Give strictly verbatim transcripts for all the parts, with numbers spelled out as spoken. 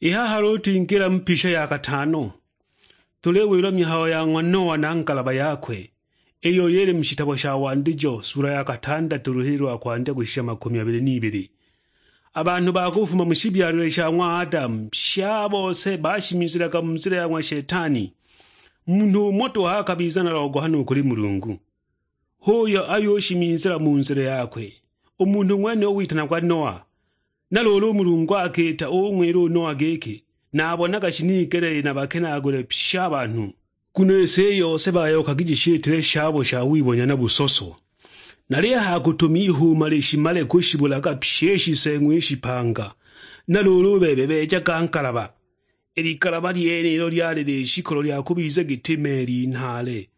I haha luulu twingila mu pisha ya katano, tuliwilwa mihayo ya ng'wa Noa na ngalaba yakwe, iyo yili mu shitabo sha Wandijo, sula ya katandatu, luhili lwa kwandya kushisha makumi abili n'ibili. A banhu ba kufuma mu shibyalilwe sha ng'wa Adamu, pye a bose bashimizilaga mu nzila ya ng'wa Shetani. Munhu umo to akabiza na logohano u kuli Mulungu, h'uyo ayushimizila mu nzila yakwe, u munhu ng'wene u witanagwa Noa. Na luulu u Mulungu akiita ung'wila u Noa giki, nabonaga shinigeleele nabakenaagule pye a banhu, nguno i si i yose bayookagi jishiitile shabo sha wibonya na busoso. Nalihaya kutuma ihuuma lishimale kushibulaga pye i shiseeng'wa i shipanga. Na luulu u bebe beejaga ngalaba. I ligalaba lyenilo lyali lishikolo lya kubiza giti meli nhaale.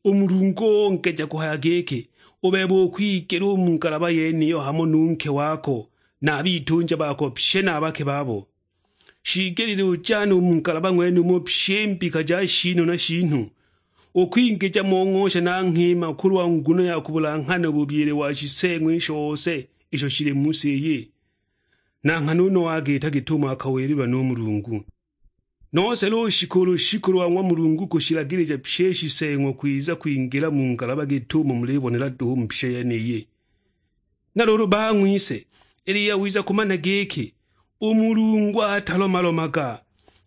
U Mulungu ongeja kuhaya giki, "U bebe ukwigela u mu ngalaba yeniyo hamo nu nke wako, na a bitunja bako pye na a bake babo." Shiigelile ujane u mu ngalaba ng'wenumo pye i mbika ja shiinu na shiinu, ukwingija mo ng'osha na nghima kulwa nguno ya kubulanghana u bubyile wa shiseeng'wa i shose isho shili mu si iyi. Na nghana u Noa agiita git'umo akawililwa nu Mulungu. Nose lushiku lushiku lwa ng'wa Mulungu kushilagilija pye i shiseeng'wa kwiza kwingila mu ngalaba git'umo mulibonela duhu mu pisha yeniyi. Na luulu bang'wise, ili yawiza kumana giki, u Mulungu atalomalomaga,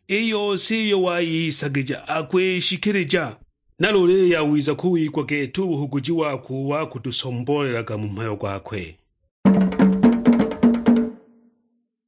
i yose iyo wayisagija akwishikilija. Na luulu ili yawiza kuwigwa gete u buhuguji wakwe ubo akutusomboolelaga mu mhayo gwakwe.